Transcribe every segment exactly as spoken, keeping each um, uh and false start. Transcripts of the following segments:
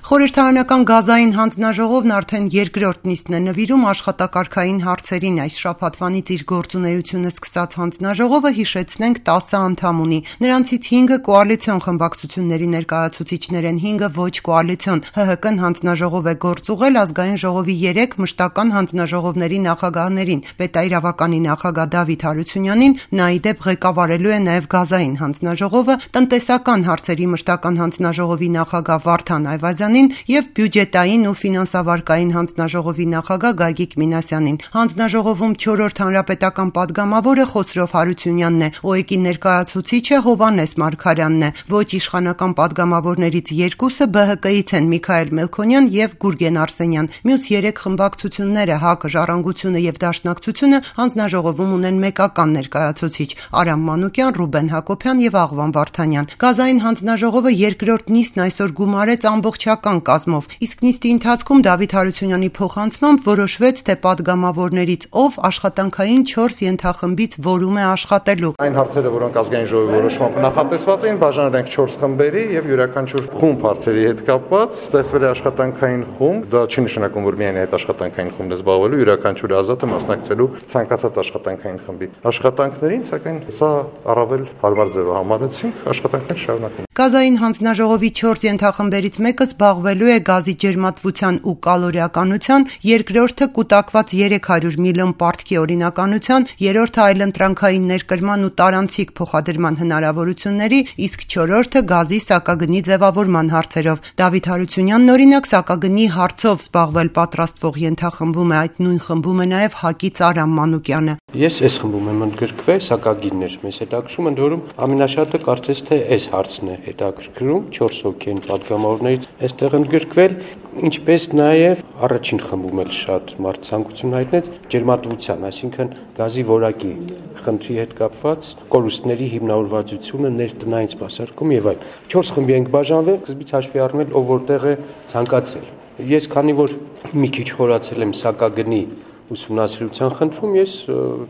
Խորհրդարանական գազային հանձնաժողովն արդեն երկրորդ նիստն է նվիրում աշխատակարգային հարցերին։ Այս շաբաթվանից իր գործունեությունը սկսած հանձնաժողովը, հիշեցնենք, տասը անդամ ունի։ Նրանցից հինգը կոալիցիոն խմբակցությունների ներկայացուցիչներ են, հինգը ոչ կոալիցիոն։ ՀՀԿ-ն հանձնաժողով է գործուղել ազգային ժողովի երեք մշտական հանձնաժողովների նախագահներին։ Պետաիրավականի նախագահ Դավիթ Հարությունյանին նա ի դեպ ղեկավարելու է նաև գազային հանձնաժողովը, տնտեսական հարցերի մշտական հանձնաժողովի նախագահ Վարդան Այվազյանին և բյուջետային ու ֆինանսավարկային հանձնաժողովի նախագահ Գագիկ Մինասյանին։ Հանձնաժողովում չորրորդ հանրապետական պատգամավորը Խոսրով Հարությունյանն է, ՕԵԿ-ի ներկայացուցիչը Հովհաննես Մարգարյանն է, ոչ իշխանական պատգամավորներից երկուսը ԲՀԿ-ից են՝ Միքայել Մելքոնյան և Գուրգեն Արսենյան։ Մյուս երեք խմբակցությունները՝ ՀԱԿ-ը, Ժառանգությունը և Դաշնակցությունը հանձնաժողովում ունեն մեկական ներկայացուցիչ՝ Արամ Մանուկյան, Ռուբեն Հակոբյան և Աղվան Վարդանյան։ Գազային հանձնաժողովը երկրորդ նիստն այսօր գումարեց ամբողջական կազմով, իսկ նիստի ընթացքում Դավիթ Հարությունյանի փոխանցմամբ որոշվեց, թե պատգամավորներից ով աշխատանքային չորս ենթախմբից որում է աշխատելու։ Այն հարցերը, որոնք ազգային ժողովի որոշմամբ նախատեսված էին, բաժանել ենք չորս խմբերի եւ յուրաքանչյուր խումբ հարցերի հետ կապված ստեղծվել է աշխատանքային խումբ։ Դա չի նշանակում, որ միայն այդ աշխատանքային խումբն է զբաղվելու, յուրաքանչյուրը ազատ է մասնակցելու ցանկացած աշխատանքային խմբի աշխատանքներին, սակայն սա առավել հարմար ձև է համարեցինք, աշխատանքներ շարունակենք։ Գազային հանձնաժողովի չորս ենթախմբերից մեկը զբաղվելու է գազի ջերմատվության ու կալորիականության, երկրորդը կուտակված երեք հարյուր միլիոն պարտքի օրինականության, երրորդը այլընտրանքային ներկրման ու տարանցիկ փոխադրման հնարավորությունների, իսկ չորրորդը գազի սակագնի ձևավորման հարցերով։ Դավիթ Հարությունյանն օրինակ սակագնի հարցով զբաղվել պատրաստվող ենթախմբում է, այդ նույն խմբում է նաև ՀԱԿ-ից Արամ Մանուկյանը։ Ես այս խմբում եմ ընդգրկվել, սակագիններ մեզ հետաքրում, ընդ որում ամենաշատը կարծես թե այս հարցն է հետաքրքրում, չորս հոգի են պատգամավորներից այստեղ ընդգրկվել, ինչպես նաև առաջին խմբում էլ շատ մարդ ցանկություն հայտնեց ջերմատվության, այսինքն գազի որակի խնդրի հետ կապված կորուստների հիմնավորվածությունը ներտնային սպասարկում եւ այլն։ Չորս խմբի ենք բաժանվել, սկզբից հաշվի առնել ով որտեղ է ցանկացել։ Ես քանի որ մի քիչ խորացել եմ սակագնի ուսումնասիրության խնդրում, ես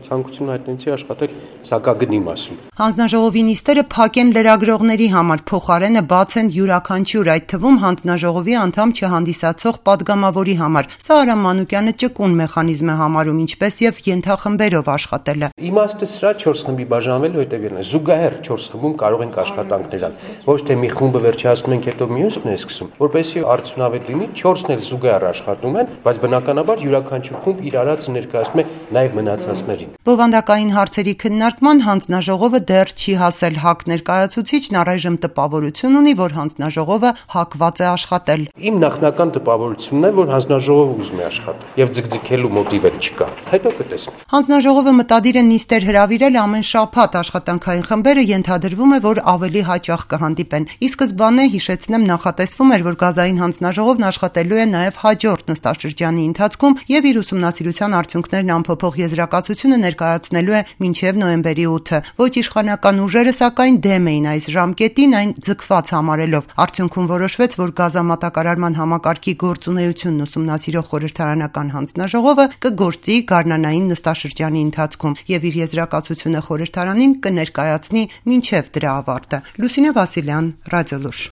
ցանկություն հայտնեցի աշխատել սակագնի մասում։ Հանձնաժողովի նիստերը փակ են լրագրողների համար, փոխարենը բաց են յուրաքանչյուր, այդ թվում հանձնաժողովի անդամ չհանդիսացող պատգամավորի համար։ Սա Արամ Մանուկյանը ճկուն մեխանիզմ է համարում, ինչպես եւ ենթախմբերով աշխատելը։ Իմաստը սրա չորս խմբի բաժանվելու հետևյալն է. զուգահեռ չորս խմբում կարող ենք աշխատանքներ անել։ Ոչ թե մի խումբը վերջացնում ենք, հետո մյուսն է սկսում, որպեսզի արդյունավետ լինի, չորսն էլ զուգահեռ աշխատում են, բայց բնականաբար յուրաքանչյուր խումբ իր արածը ներկայացնում է նաև մնացածներին։ Բովանդակային հարցերի քննարկման հանձնաժողովը դեռ չի հասել։ ՀԱԿ ներկայացուցիչն առայժմ տպավորություն ունի, որ հանձնաժողովը հակված է աշխատել։ Իմ նախնական տպավորությունն է, որ հանձնաժողովը ուզում է աշխատել եւ ձգձգելու մոտիվ էլ չկա։ Հետո կտեսնենք։ Հանձնաժողովը մտադիր է նիստեր հրավիրել ամեն շաբաթ, աշխատանքային խմբերը ենթադրվում է, որ ավելի հաճախ կհանդիպեն։ Ի սկզբանե, հիշեցնեմ, նախատեսվում էր, որ գազային հանձնաժողովն աշխատելու է նաև հաջորդ նստաշրջանի ընթացքում եւ իր ուսումնասիրության արդյունքներն ամփոփող եզրակացությունը ներկայացնելու է մինչև նոյեմբերի ութը։ Ոչ իշխանական ուժերը սակայն դեմ էին այս ժամկետին, այն ձգված համարելով։ Արդյունքում որոշվեց, որ գազամատակարարման համակարգի գործունեությունն ուսումնասիրող խորհրդարանական հանձնաժողովը կգործի գարնանային նստաշրջանի ընթացքում եւ իր եզրակացությունը խորհրդարանին կներկայացնի մինչև դրա ավարտը։ Լուսինե Վասիլյան, Ռադիոլուրջ։